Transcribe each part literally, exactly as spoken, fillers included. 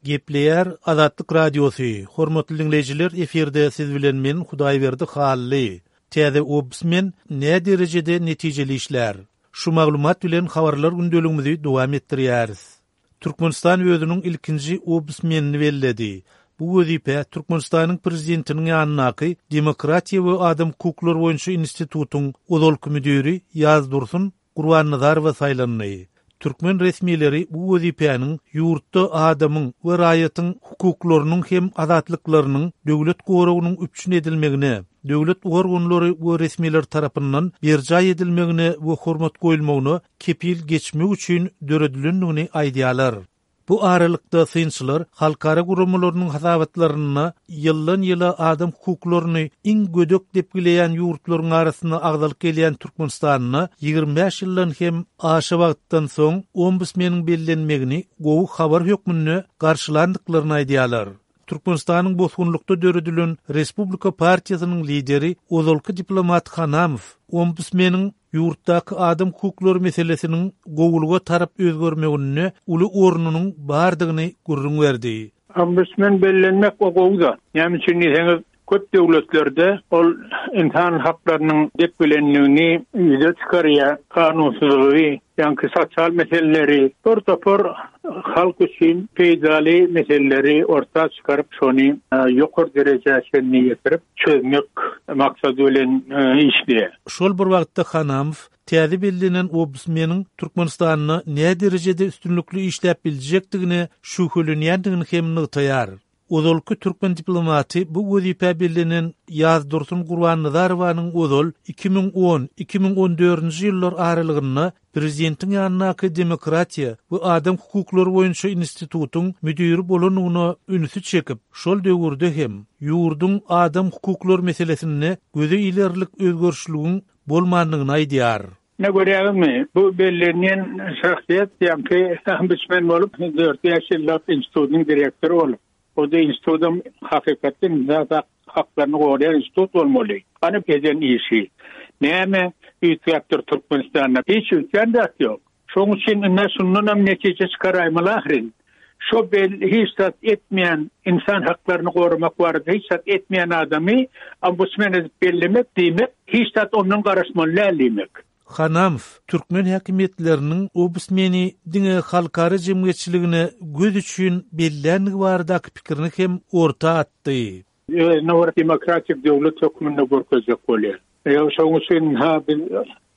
Gepleýär Azatlyk Radiosy. Hormatly diňleýjiler, efirde siz bilen men Hudaýberdi Hally. Täze ombudsmen nä derejede netijeli işlär? Şu maglumat bilen habarlar gündeligimizi dowam etdirýäris. Türkmenistan özüniň ilkinji ombudsmenini belledi. Bu wezipe Türkmenistanyň prezidentiniň ýanyndaky Demokratiýa we adam hukuklary boýunça institutyň ozalky müdiri Ýazdursun Gurbannazarowa saýlandy. Türkmen resmileri bu wezipäniň ýurtda adamyň we raýatyň hukuklarynyň hem azatlyklarynyň döwlet goragynyň üpjün edilmegine, döwlet organlary we resmiler tarapyndan berjaý edilmegine we hormat goýulmagyna kepil geçmek üçin döredilendigini aýdýarlar. Bu aralykda synçylar halkara guramalarynyň hasabatlarynda ýyldan ýyla adam hukuklaryny iň gödek depgileýän ýurtlaryň arasynda agzalyp gelýän Türkmenistanda ýigrimi bäş ýyldan hem aşa wagtdan soň ombudsmeniň bellenmegini gowy habar hökmünde garşylandyklaryny aýdýarlar. Türkmenistanyň bosgunlykda döredilen Respublika partiýasynyň lideri ozalky diplomat Hanamow ombudsmeniň ýurtdaky adam hukuklary meselesiniň gowulyga tarap özgermeginde uly ornunyň bardygyny gürrüň berdi. Ombudsmen bellenmek o gowy-da. Näme üçin diýseňiz, köp döwletlerde ol insan haklarynyň depgilendigini ýüze çykarýar, kanunsyzlygy, ýaňky sosial meseleleri, bir topar halk üçin peýdaly meseleleri orta çykaryp, şony ýokary derejä çenli ýetirip, çözmek maksady bilen işleýär. Şol bir wagtda Hanamow täze bellenen ombudsmeniň Türkmenistanda nä derejede üstünlikli işläp biljekdigine şübhelenýändigini hem nygtaýar. Ozalky türkmen diplomaty bu wezipä bellenen Ýazdursun Gurbannazarowanyň ozal iki müň on, iki müň on dördünji ýyllar aralygynda prezidentiň ýanyndaky Demokratiýa we adam hukuklary boýunça institutyň müdiri bolandygyna ünsi çekip, şol döwürde hem ýurduň adam hukuklary meselesinde göze ilerlik özgerişligiň bolmandygyny aýdýar. Ne görýäňizmi? Bu bellenýän şahsyýet ýaňky ombudsmen bolup, dört-bäş ýyllap institutyň direktory bolup, o da institutyň hakykatdan insan haklaryny goraýan institut bolmaly. Hany eden işi? Näme üýtgäpdir Türkmenistanda? Hiç üýtgän zat ýok. Şonuň üçin indi şundan hem netije çykaraýmaly ahyryn. Şo bel hiç zat etmeýän, insan haklaryny goramak barada hiç zat etmeýän adamy ombudsmen edip bellemek diýmek, hiç zat ondan garaşmaly däl diýmek. Hanamow türkmen häkimiýetleriniň ombudsmeni diňe halkara jemgyýetçiligine göz üçin bellänligi baradaky pikirini hem orta atdy. Özüne bir demokratik döwlet hökmünde görkezjek bolýar. Ýa şonuň üçin ha biz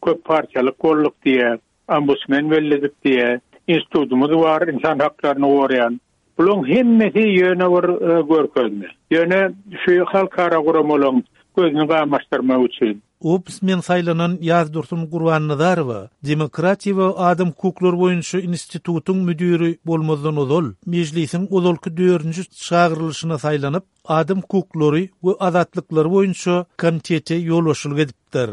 köp partiýalyk bolduk diýe, ombudsmen belledik diýe, institutymyz bar, insan haklaryny goraýan. Bularyň hemmesi ýöne bir, e, görkezme. Ýöne şu halkara guramalaryň gözüni gamaşdyrmak üçin. Ombudsmen saýlanan Ýazdursun Gurbannazarowa Demokratiýa we adam hukuklary boýunça institutyň müdiri bolmazdan ozal mejlisiň ozalky dördünji çagyrylyşyna saýlanyp, adam hukuklary we azatlyklary boýunça komitete ýolbaşçylyk edipdir.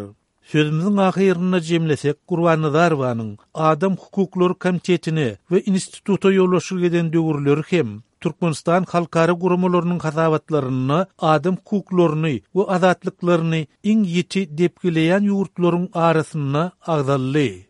Sözümiziň ahyrynda jemlesek, Gurbannazarowanyň Adam hukuklary komitetine we instituta ýolbaşçylyk eden döwürleri hem Türkmenistan halkara guramalarynyň hasabatlarynda adam hukuklaryny we azatlyklaryny iň ýiti depgileýän ýurtlaryň arasynda agzaldy.